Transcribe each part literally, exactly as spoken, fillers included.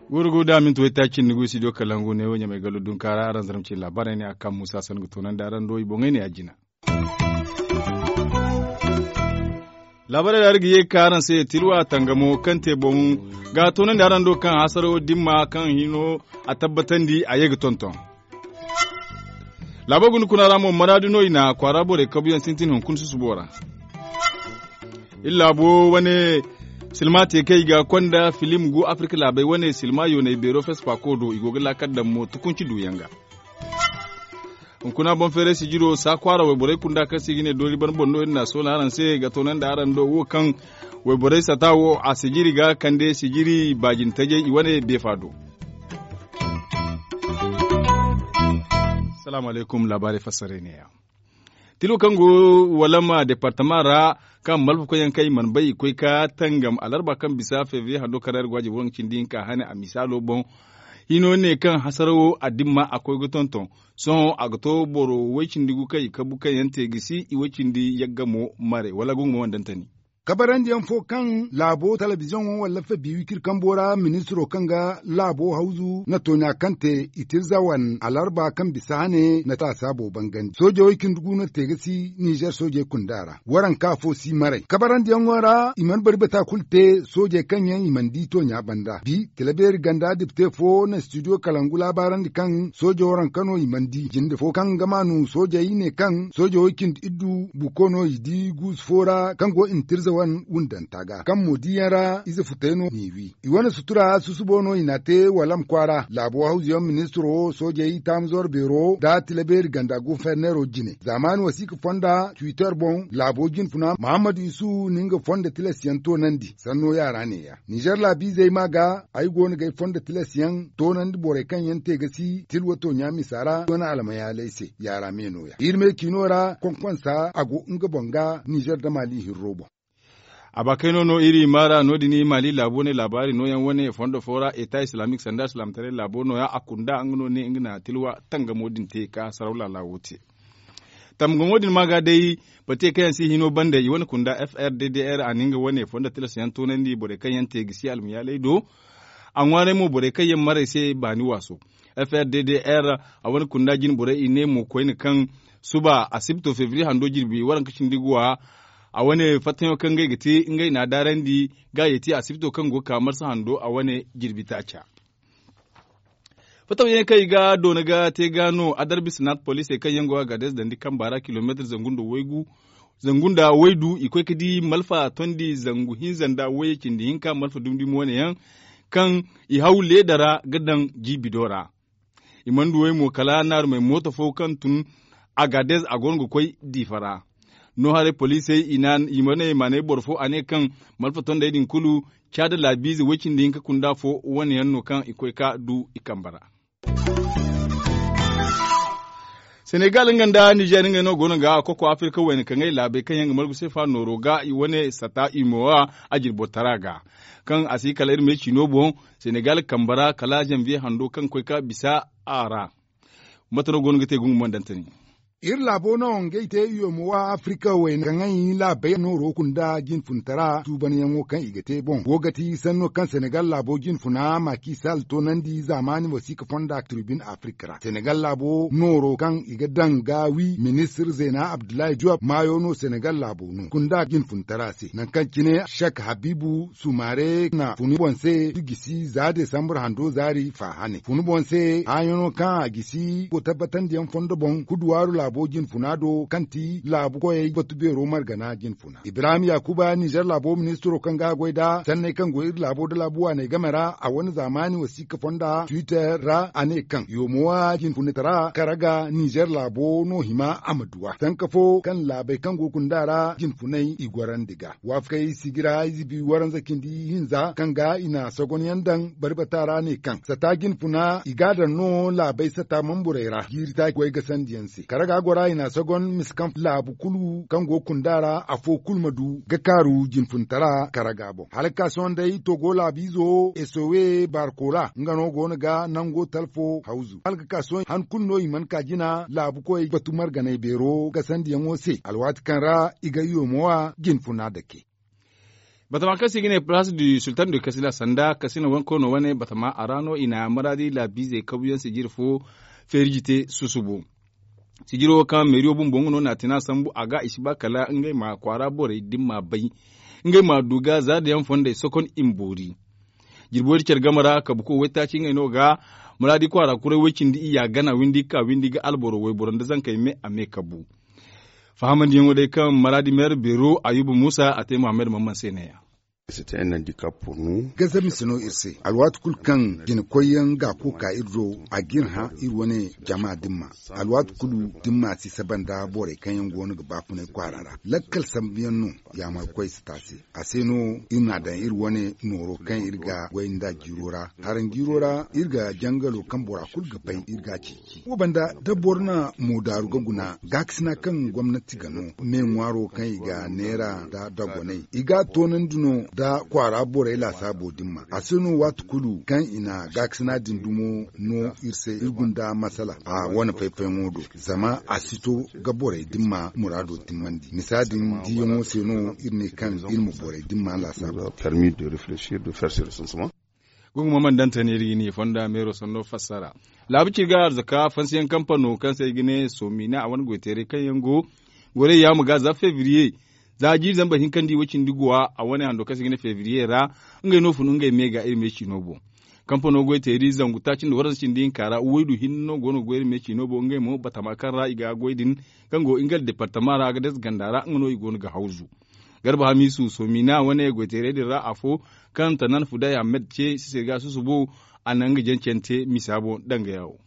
Gurugu da minti waytaaci ni gu studio kalangu ne wo ɲamay gallo dunkaara araŋ zarma ci laabaarey ne a kaŋ muusa sannu ga toonandi araŋ do i boŋey ne a jina. Laabaarey ra iri ga ye ga ka araŋ se tilwa tangamo kaŋ te boŋ ga toonandi araŋ do kaŋ hasaro dimma kaŋ hino a tabbatandi a ye ga tonton. Laabo guna kuna ra mo maraadu no i na kwaara borey kabuyaŋ sintin hunkuna susubo ra. Iri laabo wane silma te kaŋ i ga konda filim gu afirka laabey wane silma yooney beero fespaako do i go ga laakal daŋ mo tukunci duuyaŋ ga. Hunkuna boŋ feeray sijiro saa kwaara wayborey kunda kaŋ se i ga ne doori ban boŋ no iri na soola araŋ se ga toonandi araŋ do wo kaŋ wayborey sata wo a sijiri ga kande sijiri baajin tajay i wane beefa do. Salaamu alaykum laabaarey fassaray neeya. Tilo kaŋ go walama departama ra kaŋ malfa koyyaŋ kaŋ i mana bay i koy ka tangam alarba kaŋ bisa febriye hando kaŋ ra iri go a jabo waranka cindi hinka hane a misaalo boŋ. Hino ne kaŋ hasarawo a dimma a koy ga tonton. Sohõ a ga to boro way-cindi gu kaŋ i kabu kaŋ yaŋ te ga si i way-cindi yagga mo mare wala gungu mo wandantani. Kabarandiyaŋ fo kaŋ laabo talabiziyoŋo wala fabi wikir kambo ra ministiro kaŋ ga laabo hawzu na tooɲa kaŋ te i tirza wane alarba kaŋ bisa hane na taasa boobo bangandi soojawey cindi gu no te ga si nizer soojey kunda ra waranka fo si maray kabarandiyaŋo ra i mana bari bata kulu te. Soojey kaŋ yaŋ i mana di tooɲa banda bi tila beeri ganda dipte fo na studio kalangu laabaarandi kaŋ soojo waranka no i mana di jinde fo kaŋ ga maanu soojey ne kaŋ soojawey cindi iddu buko no i di guusu fo ra kaŋ go i na tirza wane wundanta ga kaŋ mo diyaŋ ra ize futey no n'i wi. I wane sutura susubo no i n'a te walam kwaara laabo hawzuyaŋ ministiro soojey taamzor beero nda tilabeeri ganda guferneero jine zaamaani wasiika fonda twitter boŋ laabo jinfuna muhammad isu na nga fonda tilasyaŋ toonandi sanno yaara neeya. Nizer laabiizey maa ga ay go no ga ay fonda tilasyaŋ toonandi borey kaŋ yaŋ te ga si tilwa tooɲa misa ra i wane almayaaley se yaara me nooya iri me ciino ra konkonsa a go nga boŋ ga nizer da maali hirro boŋ. A ba kayno no iri maara no- din maali laabo ne laabaari nooyaŋ wane fondo fo ra eta islamik sanda silaamataray laabo nooya a kunda nga no ne nga na tilwa tangamo din te ka saraw laala wo te. Tangamo din ma ga day bate kaŋ yaŋ si hino banda i wane kunda f r d d r a na nga wane fondo tilas yaŋ toonandi borey kaŋ yaŋ te ga si almayaaley do. A ŋwaaray mo borey kaŋ yaŋ maray se baani waaso f r d d r a wane kunda jine borey i ne mo koyne kaŋ suba asibto febriye hando jirbi waranka cindi guwa a wane fattayaŋo kaŋ ngey ga te ngey na a daarandi ga ye te asibto kaŋ go ga ka marsa hando a wane jirbi taaca. Fattayaŋ kaŋ i ga doona ga te ga no adarbi sinat poliisey kaŋ yaŋ go a ga dees dandi kamba ra kilomeetir zangu nda waygu zangu nda waydu i koy ga di malfa tondi zangu hinza nda wayye cindi hinka malfa dumdumi wane yaŋ kaŋ i haw leeda ra ga daŋ jiibi do ra. I mana du way mo kala naarumey mooto fo kaŋ tun agades a go no ga koy diifa ra. No haray poliisey i mana maanay boro fo a ne kaŋ malfa tondey din kulu caada laabiize way-cindi hinka kunda fo wane yaŋ no kaŋ i koy ga du i kambe ra. Senegal nga nda nizer ngey no go no ga koko afirka wayna kaŋ ay laabey kaŋ yaŋ ga margu seefa nooro ga i wane sata imowa a jirbo tara ga kaŋ a si kala iri me ciino boŋ. Senegal kambe ra kala zanviye hando kaŋ koy ga bisa a ra. Mate no go no ga te gungu mandantani. Iri laabo no ngey te imowa afirka wayna kaŋ ay laabey nooro kunda jinfuntara tuubanyaŋo kaŋ i ga te boŋ go ga ti sanno kaŋ senegal laabo jinfuna makisal toonandi zaamaani wasiika fonda tribune afirka ra senegal laabo nooro kaŋ i ga daŋ ga wi ministir zeena abdullahi diyop maayo no senegal laabo no kunda jinfuntara se nangu kaŋ cine shek habibu sumare na funu boŋ se du gisi za desambur hando zaari fa hane funu boŋ se haayaŋo kaŋ a gisi go tabbatandiyaŋ fondo boŋ kuduwaaru laabo jinfuna do kaŋ ti laabu koyey batu beero margana jinfuna ibrahim yakuba nizer laabo ministiro kaŋ ga a goy nda sanney kaŋ go iri laabo nda laabu waaney game ra a wane zaamaani wasiika fonda twitter ra a ne kaŋ yomowa jinfunitara karaga nizer laabo no hima a ma duwa sanka fo kaŋ laabey kaŋ go kunda ra jinfunay i gorandi ga waafakey sigira izibi waranza cindi hinza kaŋ ga i na sogonyaŋ daŋ barbata ra ne kaŋ sata jinfuna i ga a daŋ no laabey sata mamburey ra jiiri taaci goy gasandiyaŋ se karaga A gora i na a sogon misa kaŋ laabu kulu kaŋ go kunda ra afo kulu ma du ga kaaru jinfuntara karaga boŋ hala ga ka sohõ day togo laabiizo esowe barkola nga no go no ga nango talfo hawzu hala ga ka sohõ han kulu no i mana ka jina laabukoy batu marganay beero gasandiyaŋo se alwaati kaŋ ra i ga iyo moowa jinfuna dake. Batama kaŋ se i ga ne place du sultan du kasila sanda kasina wanko no wane batama a ra no i na maraadi laabiizey kabuyaŋ sijiri fo feeriji te susubu. Sijiro kaŋ meeriyo bumbo nga no na a tina sambu a ga i si ba kala ngey ma kwaara borey da ni ma bay ngey ma du ga zaadayaŋ fondey sokon i ma boori. Jirbo da care game ra kabuko waytaaci ngey no ga maraadi kwaara kuray way-cindi iyya gana windi ga ka windi ga alboro wayboro nda zankey me a me kabu. Fahamandiyaŋo day kaŋ maraadi meera beero ayuba muusa a te muhammad mamman se neeya. Gaza mise no iri se alwaati kulu kaŋ jinakoyyaŋ ga a koy ka iri do a ga iri hã iri wane jama dimma. Alwaati kulu dimma si saba nda borey kaŋ yaŋ go no ga baafunay kwaara ra lakkal sambuyaŋ no. Yaamarkoy si te a se a se no iri n'a daŋ iri wane nooro kaŋ iri ga goy nd'a jiiro ra. Haranjiiro ra iri ga jangalo kaŋ bora kulu ga bay iri ga a ceeci wo banda da boro na moodaaru ga guna gaakasina kaŋ gomnati ga no me ŋwaaro kaŋ i ga neera nda dogoney i ga a toonandi no nda kwaara borey laasaabo dimma a se no waati kulu kaŋ i na gaakasina din dumo no iri se iri gunda masala a wane fay-fayyaŋo do zama a si to ga borey dimma muraado timmandi misa din diiyaŋo se no iri ne kaŋ iri ma borey dimma laasaabo. Permis de réfléchir de faire ce recensement. Gunguma man dantani iri ga ni fonda meero sanno fassara laabu ci ga arzaka fansiyaŋ kampano kaŋ se ay ga ne soomina a wane goyteeray kaŋ yaŋ go gorey yaama ga za febriye za jiiri zambar hinkandi way-cindi guwa a wane hando kaŋ se ay ga ne febriye ra ngey no fun ngey me ga iri me ciino boŋ. Kampano goyteeri zangu taaci nda waranza cindi hinka ra waydu hinne no go no ga goy iri me ciino boŋ ngey mo batama kaŋ ra i ga goy din kaŋ go nga departama ra a ga dase ganda ra nga no i go no ga hawzu. Garba hamisu soomina wane goyteerey din ra afo kaŋ tanan fuday ahmed ce sisir ga susubo a na nga jancante misa boŋ danga yawo.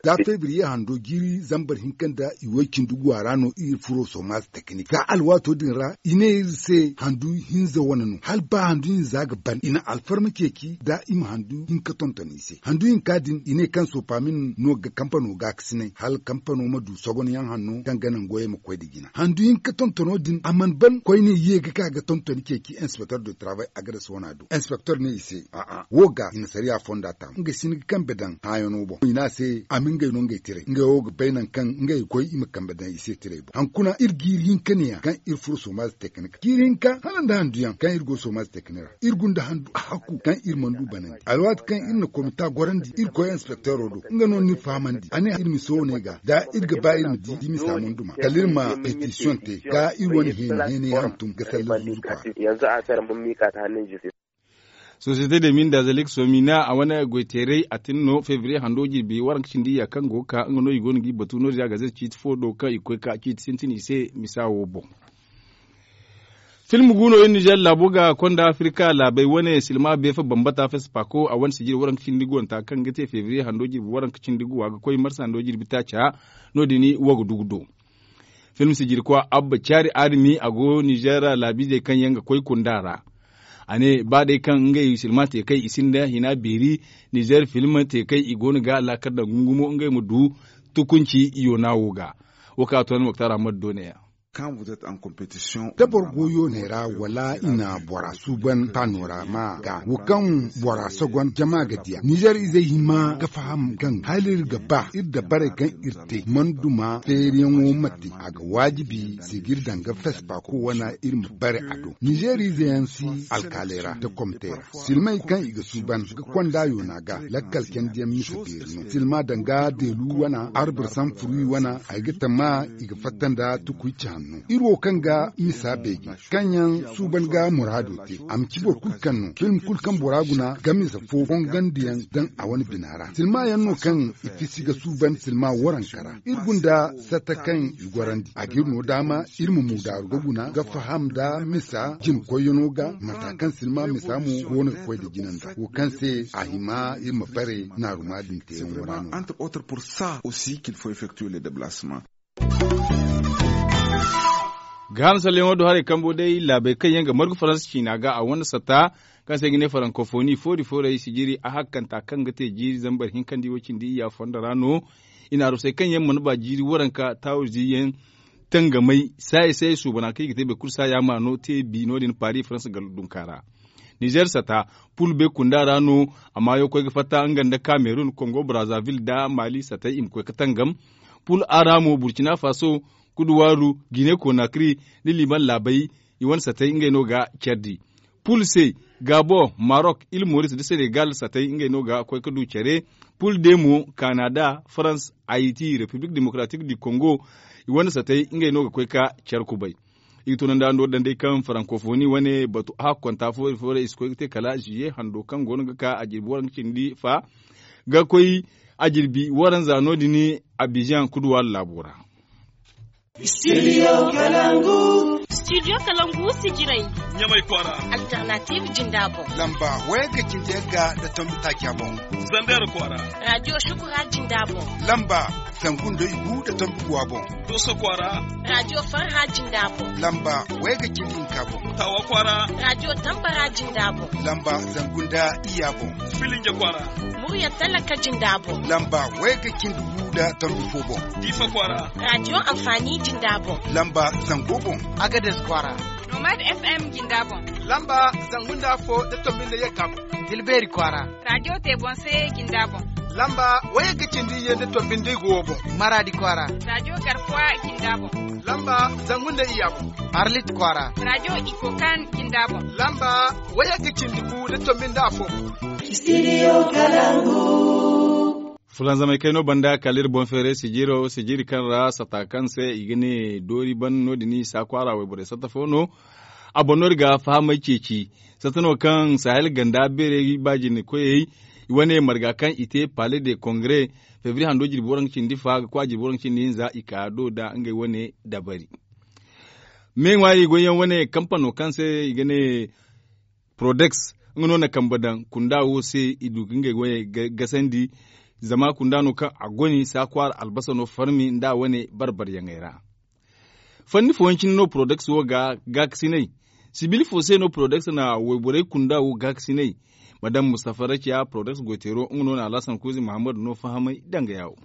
Za febriye hando jiiri zambar hinka nda i way-cindi guwa ra no iri furo soomaz teknik za alwaato din ra i ne iri se handu hinza wane no hala ba handu hinza ga ban i na alfarma ceeci nda i ma handu hinka tonton i se handu hinka din i ne kaŋ soopamin no ga kampano gaakasinay hala kampano ma du sogonyaŋ hanno kaŋ ga naŋ goyey ma koy nda jina handu hinka tontono din a mana ban koyne ye ga ka ga tontoni ceeci inspecteur de travail a ga dasa wana do inspecteur ne i se a'a wo ga i na sariya fonda taam nga si ni ga kambe daŋ hãayano boŋ i ne a se a ma ngey no ngey tiray ngey wo ga bay nangu kaŋ ngey ga koy i ma kambe daŋ i se tiray boŋ hankuna iri jiiri hinka ne ya kaŋ iri furo soomaz teknik jiiri hinka hala nda handuyaŋ kaŋ iri go soomaz teknik ra iri gunda handu a hakku kaŋ iri mana du banandi alwaati kaŋ iri na komita gorandi iri koy inspecteuro do nga no ni fahamandi a ne iri ma sohõ ne ga da iri ga ba iri ma di di misa munduma kala iri ma petisiyoŋ te ga iri wane heeni heeni hantum ga salla zuzu kwaara. Sosiyete de minda zalik somina a wane goyteeray a tin no febriye hando jirbi waranka cindi ya kaŋ go ga ka nga no i go no ga i batu no- din a gazet ciiti fo do kaŋ i ga koy ka ciiti sintin i se misa wo boŋ. Film gu no iri nizer laabo ga konda afirika laabey wane silma beefa bambata fespako a wane sijiri waranka cindi guwanta kaŋ ga te febriye hando jirbi waranka cindi guwa ga koy marsa hando jirbi taaca. No- din wo ga du ga do film sijirkwa abba caari armi a go nizer laabiizey kaŋ yaŋ ga koy kunda ra. A ne ba day kaŋ ngey silma te kay i sinda hina beeri nizer film te kay i go no ga laakar daŋ gungumo ngey ma du tukunci yoona wo ga. Wo kaŋ a to ni moktar ahmad do ne ya. Da boro go yooney ra wala i na bora suuban panorama ga wo kaŋ bora sogon jama ga diya nizer izey hima ga faham gaŋ hala iri ga ba iri dabarey kaŋ iri te mana duma feeriyaŋo ma te a ga waajibi sijiri danga fespa kowane iri ma bare a do nizer ize yaŋ si alkaaley ra da komtey ra silmey kaŋ i ga suuban ga konda yoona ga lakkal candiyaŋ misa beeri no silma danga deelu wana arbur samfurwi wana ay ga tama i ga fatta nda tukuy ci hanno iri wo kaŋ ga misa beeji kaŋ yaŋ suuban ga muraado te a ma ci boro kulu kaŋ no film kulu kaŋ bora guna ga misa fo fongandiyaŋ daŋ a wane bina ra silma yaŋ no kaŋ i fisi ga suuban silma waranka ra iri gunda satta kaŋ i gorandi a ga iri no daama iri ma mu daaru ga guna ga faham nda misa jina koyyaŋo ga mata kaŋ silma misa mo go no ga koy nda jina nda wo kaŋ se a hima iri ma bare naaruma din teeyaŋo ra no. Entre autres pour ça aussi qu'il faut effectuer les déplacements. Gaaham salleyaŋo do haray kambo day laabey kaŋ yaŋ ga margu faransa ciina ga a wane satta kaŋ se i ga ne farankofoni foori foorey sijiri a hakkanta kaŋ ga te jiiri zambar hinkandi wo cindi iyya fondo ra no. I na arusey kaŋ yaŋ mana ba jiiri waranka taawurzi yaŋ tangamay saaya saaya suubana kaŋ i ga te boro kulu saaya ma no te bi no- din paari faransa ga dunka ra. Nizer sata pul be kunda ra no. A maayo koy ga fatta nga nda kamerun kongo brazavil nda mali satay i ma koy ga tangam. Pul a ra mo burkina faso kuduwaaru gine konakri nda liban laabey i wane satay ngey no ga care di. Pul se gabon marok il moris nda senegal satay ngey no ga koy ga du care. Pul de mo kanada farans ayiti repiblik demokratik di kongo i wane satay ngey no ga koy ga care kubay. I ga tunandi a no daŋ day kaŋ farankofoni wane batu a hakkonta foori foori i si koy ga te kala ziye hando kaŋ go no ga ka a jirbi waranka cindi fa ga koy a jirbi waranza no- din abijan kuduwaaru laabo ra. Studio kalangu sijirey ɲamay kwaara. Alternative jinda boŋ. Lamba wayagga cindi yagga nda tombi taaca boŋ. Zander kwaara. Radio shukura jinda boŋ. Lamba zangu nda igu nda tombi guwa boŋ. Doso kwaara. Radio farha jinda boŋ. Lamba wayagga cindi hinka boŋ. Tawa kwaara. Radio tambara jinda boŋ. Lamba zangu nda iyya boŋ. Filinja kwaara. Murya talaka jinda boŋ. Lamba wayagga cindi gu nda tombi fo boŋ. Diifa kwaara. Radio amfani jinda boŋ. Lamba zango boŋ. Agades kwaara. Nomad fm jinda boŋ. Lamba zangu nda afo nda tombi nda yagga boŋ. Tilbeeri kwaara. Radio te boŋ se jinda boŋ. Lamba wayagga cindi iyye nda tombi nda igu wo boŋ. Maradi kwaara. Radio garkuwa jinda boŋ. Lamba zangu nda iyya boŋ. Arlit kwaara. Radio ikokan jinda boŋ. Lamba wayagga cindi gu nda tombi nda afo boŋ. Studio kalangu. Fulanzamay kayno banda kala iri boŋ feeray sijiro sijiri kaŋ ra sata kaŋ se i ga ne doori ban no- din i si a kwaara wayborey sata fo no. A boŋ no iri ga fahamay ceeci sata no kaŋ sahel ganda beerey baajine koyey i wane marga kaŋ i te pale de kongre febri hando jirbi waranka cindi fa ga koy a jirbi waranka cindi hinza i ka do nda ngey wane dabari. Me ŋwaari goyyaŋ wane kampano kaŋ se i ga ne prodeks nga no na kambe daŋ kunda wo se i du ga ngey wane gasandi. Zama kunda no kaŋ a goni saakwaara albasa no farmi nda a wane barbaryaŋey ra. Fanni fooyaŋ cine no prodeks wo ga gaakasinay. Sibil fo se no prodeks na wayborey kunda wo gaakasinay. Madam mustafa rakiya prodeks goyteero nga no na alhasan kuuzi muhammadu no fahamay danga yaawo.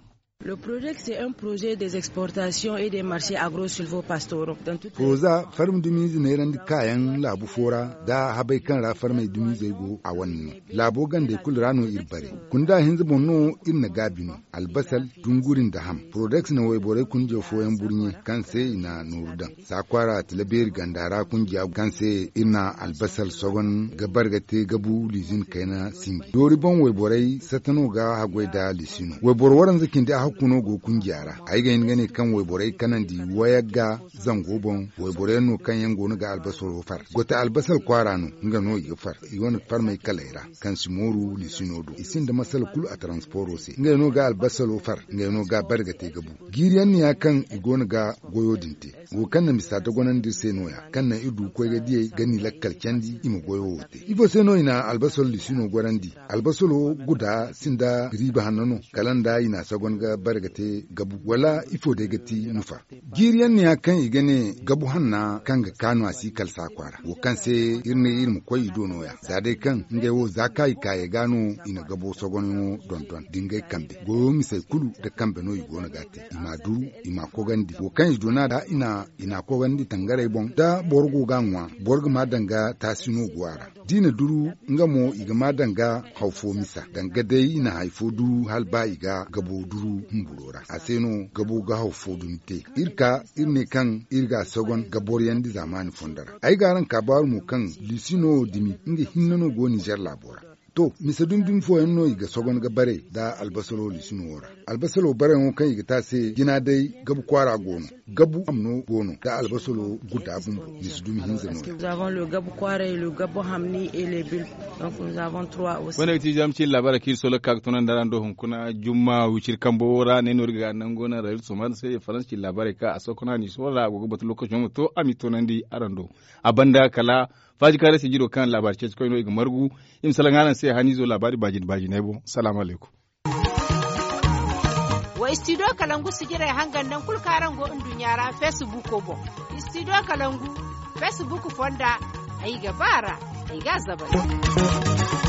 Le projet c'est un projet des exportations et des marchés agro silvo pastoro. Proza farmi dumiize neerandi kaayaŋ laabu fo ra da habay kaŋ ra farmey dumiizey go a wane no. Laabo gandey kulu ra no iri bare. Kunda hinza boŋ no iri na gaabi no. Albasal dunguri nda ham prodex na wayborey kunjo fooyaŋ burɲe kaŋ se i na nooru daŋ. Saakwaara tilabeeri ganda ra kunjiya kaŋ se iri na albasal sogon ga bare ga te gabu liizin kayna sinji doori boŋ wayborey sata no ga haggoy nda liisino wayboro waranza cindi ahakku no go kunjiya ra. Ay ga hin ga ne kaŋ wayborey kanandi wayagga zango boŋ wayboro yaŋ no kaŋ yaŋ go no ga albasaro far gote albasar kwaara no. Nga no i ga far i wane farmey kaley ra kaŋ si mooru liisino do i sinda masala kulu a taransporo se ngey no ga albasaro far ngey no ga bare ga te gabu. Jiiri yaŋ no ya kaŋ i go no ga goyo din te wo kaŋ na misa dogonandi iri se no- ya kaŋ naŋ iri du ga koy ga diyey ga ni lakkal candi i ma goyo wo te ifo se no i na albasaro liisino gorandi? Albasaro guda sinda riiba hanno no kala nda i na sagon ga bare ga te gabu wala ifo day ga ti nufa? Jiiri yaŋ no ya kaŋ i ga ne gabu hanna kaŋ ga kaanu a si kala saakwa ra wo kaŋ se iri ne iri ma koy i do no- ya za day kaŋ ngey wo za ka i kaayey ga no i na gabo sogonyaŋo dondon da ngey kambe goyo misey kulu nda kambe no i go no ga a te i m'a duru i m'a kogandi wo kaŋ i duna da i na i n'a kogandi tangarey boŋ da boro go ga a ŋwa boro ga ma danga taasi no go a ra. Da i na duru nga mo i ga ma danga haw fo misa danga day i na hari fo duru hala ba i ga gabo duru humburo ra a se no gabo ga haw fo dumi te. Iri ka iri ne kaŋ iri ga a sogon ga boroyandi zaamaani fondo ra ay ga araŋ kaabaaru mo kaŋ liisino dumi nga hinne no go ninzeer laabo ra. To mise dumi dumi fooyaŋ no i ga sogon ga bare nda albasalo liisino wo ra. Albasalo bareyaŋo kaŋ i ga te a se jina day gabu kwaara go no. Gabu ham no go no nda albasalo guda bumbo mise dumi hinza no. Wane ga ti zama cin labaara kaŋ iri solo ga ka ga tunandi araŋ do hunkuna jumma wiciri kambo wo ra ne no iri ga nango naŋ rayil somar se faransa cin labaaray kaŋ a sookuna ni soola a go ga batu lokaco ma to a m'i tunandi araŋ do. A banda kala faaji kaarey se jiro kaŋ laabaari ceeci koy no i ga margu. I ma salaŋ araŋ se haniizo laabaari baajine baajiney boŋ salaamu alaykum. Wa istidiyo kalangu sijirey hangan naŋ kulu kaŋ araŋ go nduɲɲa ra feesibuko boŋ. Istidiyo kalangu feesibuko fonda. Ay ga ba a ra. Ay ga a zabari.